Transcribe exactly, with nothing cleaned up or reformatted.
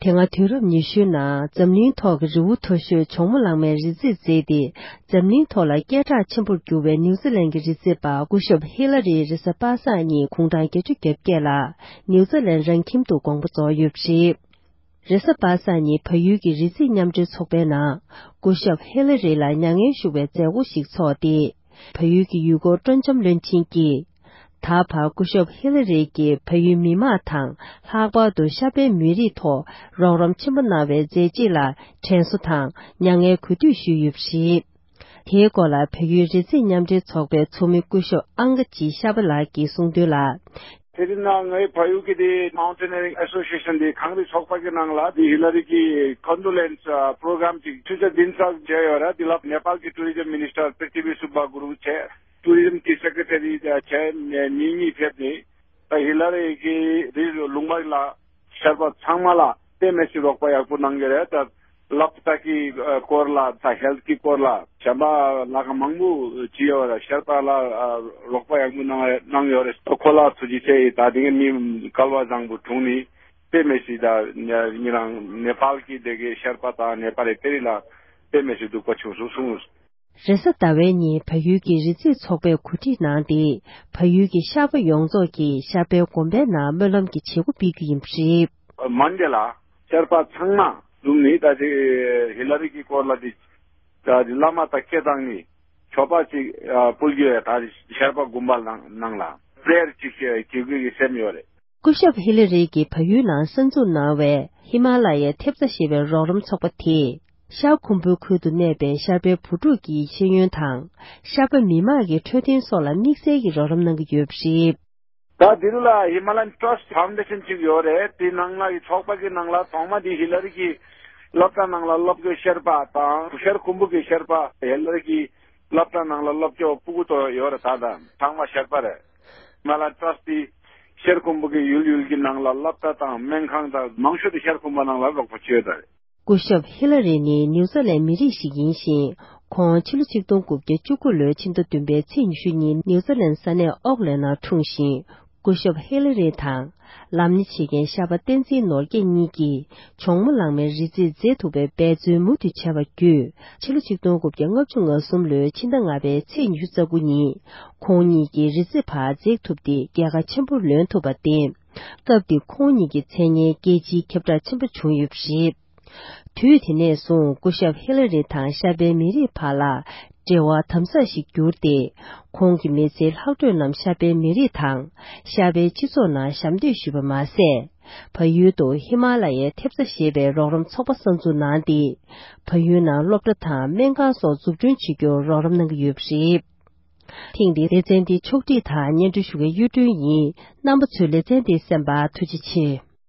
དེ་སྔ་དུས་རབས་ཉི་ཤུའི་ནང་འཛམ་གླིང་ཐོག་གི་རི་བོ་མཐོ་ཤོས་ཇོ་མོ་གླང་མའི་རི་རྩེར་འཛེགས་ཏེ། འཛམ་གླིང་ཐོག་ལ་སྐད་གྲགས་ཆེན་པོར་གྱུར་བའི་ནིའུ་ཛི་ལན་གྱི་རི་རྩེ་པ་སྐུ་ཞབས་ཧི་ལ་རིའི་རེས་གཟའ་པ་སངས་ཉིན་དགུང་གྲངས་བརྒྱད་ཅུ་གྱ་བརྒྱད་ལ་ནིའུ་ཛི་ལན་རང་ཁྱིམ་དུ་དགོངས་པ་རྫོགས་ཡོད་པ་རེད། རེས་གཟའ་པ་སངས་ཉིན་བལ་ཡུལ་གྱི་རི་རྩེ་མཉམ་འབྲེལ་ཚོགས་པའི་ནང་སྐུ་ཞབས་ཧི་ལ་རི་ལ་མྱ་ངན་ཞུ་བའི་མཛད་སྒོ་ཞིག་ཚོགས་ཏེ། བལ་ཡུལ་གྱི་ཡུལ་སྐོར་སྤྲོ་འཆམ་བློན་ཆེན་གྱིས། ད་བར་སྐུ་ཞབས་ཧི་ལ་རི་གིས་བལ་ཡུལ་མི་དམངས་དང་ལྷག་པར་དུ་ཤར་པའི་མི་རིགས་ཐོག་རོགས་རམ་ཆེན་པོ་གནང་བའི་མཛད་རྗེས་ལ་དྲན་གསོ་དང་མྱ་ངན་གུས་འདུད་ཞུས་ཡོད་པ་རེད། དེའི་སྐོར་ལ་བལ་ཡུལ་རི་རྩེ་མཉམ་འབྲེལ་ཚོགས་པའི་ཚོགས་མི་སྐུ་ཞབས་ཨང་ཀ་ཅི་ཤ་པ་ལགས་ཀྱིས་གསུངས་དོན་ལ། དེ་རིང་ནང་ངའི་ཕ་ཡུལ་གྱི་དེ་Mountaineering Association དེ་གངས་རི་ཚོགས་པ་གི་ནང་ལ་དེ་ཧི་ལ་རི་གི་Condolence Program ཅིག་ཆུ་ཚོད་བདུན་ཙམ་བྱས་ཡོད་ར། དེ་ལ་ནེ་པཱལ་གྱི་Tourism Minister Prithvi Subba Gurung བྱས། Tourism གྱི་Secretary བྱས་ནས་མི་གཉིས་ཕེབས་ནས། ད་ཧི་ལ་རི་གི་རི་ལུང་པ་ལ་ཤར་པ་ཚང་མ་ལ་དཔེ་མི་སྲིད་རོགས་པ་ཡག་པོ་གནང་གི་རེད། ད་སློབ་གྲྭ་གི་སྐོར་ལ་ད་ཧེལ་ཐི་གི་སྐོར་ལ་གཞན་པ་ལ་ག་མང་པོ་བྱས་ཡོད་རེད། ཤར་པ་ལ་རོགས་པ་ཡག་པོ་གནང་གནང་ཡོད་རེད། ཁོ་ལ་ཐུགས་རྗེ་ཆེ་ཡིན། ད་དེ་ག་མི་སྐལ་བ་བཟང་པོ་བྱུང་ནི་དཔེ་མི་སྲིད། ད་ཉེ་རང་ནེ་པཱལ་གྱི་དེ་གའི་ཤར་པ་དང་ནེ་པཱལ་རི་དེ་རིང་ལ་དཔེ་མི་སྲིད་སྡུག་པ་བྱུང་སོང་གསུངས། རེས་གཟའ་ཟླ་བའི་ཉིན་བལ་ཡུལ་གྱི་རི་རྩེ་ཚོགས་པས་གོ་སྒྲིག་གནང་སྟེ། བལ་ཡུལ་གྱི་ཤར་པ་ཡོངས་རྫོགས་ཀྱིས་ཤར་པའི་དགོན་པའི་ནང་སྨོན་ལམ་གྱི་བྱེད་སྒོ་སྤེལ་རྒྱུ་ཡིན་པ་རེད། མན་ཌེ་ལ་ཤར་པ་ཚང་མ་འཛོམས་ནས་ད་ཅིག་ཧི་ལ་རི་གི་སྐོར་ལ་ཅིག་ད་ཅིག་བླ་མ་དང་སྐད་བཏང་ནས་མཆོད་པ་ཅིག་ཕུལ་རྒྱུ་ཡ། ད་ཅིག་ཤར་པ་དགོན་པ་ནང་ནང་ལ་པྲེ་ཡར་ཅིག་བྱེད་དགོས་ཀྱི་སེམས་ཡོད་རེད། སྐུ་ཞབས་ཧི་ལ་རི་གིས་བལ་ཡུལ་ནང་གསར་འཛུགས་གནང་བའི་ཧི་མ་ལ་ཡའི་ཐེབས་རྩ་ཞེས་པའི་རོགས་རམ་ཚོགས་པ་དེས། ཤར་ཁུམ་བུའི་ཁུལ་དུ་གནས་པའི་ཤར་པའི་བུ་ཕྲུག་གི་ཤེས་ཡོན་དང་། ཤར་པ་མི་དམངས་ཀྱི་འཕྲོད་བསྟེན་སོགས་ལ་དམིགས་བསལ་གྱི་རོགས་རམ་གནང་གི་ཡོད་པ་རེད། ད་འདི་རུ་ལ་Himalayan Trust Foundation ཅིག་ཡོད་རེད། དེ་ནང་ལ་གི་ཚོགས་པ་གི་ནང་ལ་ཐོག་མ་དེ་ཧི་ལ་རི་གི་སློབ་གྲྭ་ནང་ལ་སློབ་དགོས་ཤར་པ་དང་ཤར་ཁུམ་བུ་གི་ཤར་པ་ཧི་ལ་རི་གི་སློབ་གྲྭ་ནང་ལ་སློབ་སྐྱོར་ཕྲུ་གུ་ཏོ་ཡོད་རེད། ད་ད་ཚང་མ་ཤར་པ་རེད། Himalayan Trust དེ་ཤར་ཁུམ་བུ་གི་ཡུལ་ཡུལ་གྱི་ནང་ལ་སློབ་གྲྭ་དང་སྨན་ཁང་དང་མང་ཤོས་དེ་ཤར་ཁུམ་བུ་ནང་ལ་རོགས་པ་བྱས་ཡོད་རེད། སྐུ་ཞབས་ཧི་ལ་རི་ནི་ནིའུ་ཛི་ལན་མི་རིགས་ཤིག་ཡིན་ཞིང་། ཁོང་ཕྱི་ལོ་ཆིག་སྟོང་དགུ་བརྒྱ་བཅུ་དགུ་ལོའི་ཕྱི་ཟླ་བདུན་པའི་ཚེས་ཉི་ཤུ་ཉིན་ནིའུ་ཛི་ལན་ས་གནས་ཨོག་ལན་ནང་འཁྲུངས་ཤིང་། སྐུ་ཞབས་ཧི་ལ་རི་དང་། ལམ་སྣེ་བྱེད་མཁན་ཤར་པ་བསྟན་འཛིན་ནོར་རྒྱས་གཉིས་ཀྱིས་ཇོ་མོ་གླང་མའི་རི་རྩེར་འཛེགས་ཐུབ་པའི་འབད་བརྩོན་མུ་མཐུད་བྱས་པ་བརྒྱུད། ཕྱི་ལོ་ཆིག་སྟོང་དགུ་བརྒྱ་ལྔ་བཅུ་ང་གསུམ་ལོའི་ཕྱི་ཟླ་ལྔ་པའི་ཚེས་ཉི་ཤུ་རྩ་དགུ་ཉིན། ཁོང་གཉིས་ཀྱིས་རི་རྩེ་བར་འཛེགས་ཐུབ་སྟེ་རྒྱལ་ཁ་ཆེན་པོ་ལོན་ཐུབ་པར་བརྟེན། སྐབས་དེ་ཁོང་གཉིས་ཀྱི་མཚན་སྙན་རྒྱལ་སྤྱིའི་ཁྱབ་བསྒྲགས་ཆེན་པོ་བྱུང་ཡོད་པ་རེད། དུས་དེ་ནས་བཟུང་སྐུ་ཞབས་ཧི་ལ་རི་དང་ཤར་པའི་མི་རིགས་བར་ལ་འབྲེལ་བ་དམ་ཟབ་ཞིག་གྱུར་ཏེ། ཁོང་གི་མི་ཚེའི་ལྷག་འཕྲོས་རྣམས་ཤར་པའི་མི་རིགས་དང་ཤར་པའི་སྤྱི་ཚོགས་ནང་ཞབས་འདེགས་ཞུས་པ་མ་ཟད། བལ་ཡུལ་དུ་ཧི་མ་ལ་ཡའི་ཐེབས་རྩ་ཞེས་པའི་རོགས་རམ་ཚོགས་པ་གསར་འཛུགས་གནང་སྟེ། བལ་ཡུལ་ནང་སློབ་གྲྭ་དང་སྨན་ཁང་སོགས་འཛུགས་སྐྲུན་བྱེད་རྒྱུར་རོགས་རམ་གནང་གི་ཡོད་པ་རེད། ཐེངས་འདིའི་ལེ་ཚན་འདི་ཕྱོགས་སྒྲིག་དང་སྙན་སྒྲོན་ཞུ་མཁན་གཡུ་སྒྲོན་ཡིན། རྣམ་པ་ཚོས་ལེ་ཚན་འདི་གསན་པར་ཐུགས་རྗེ་ཆེ།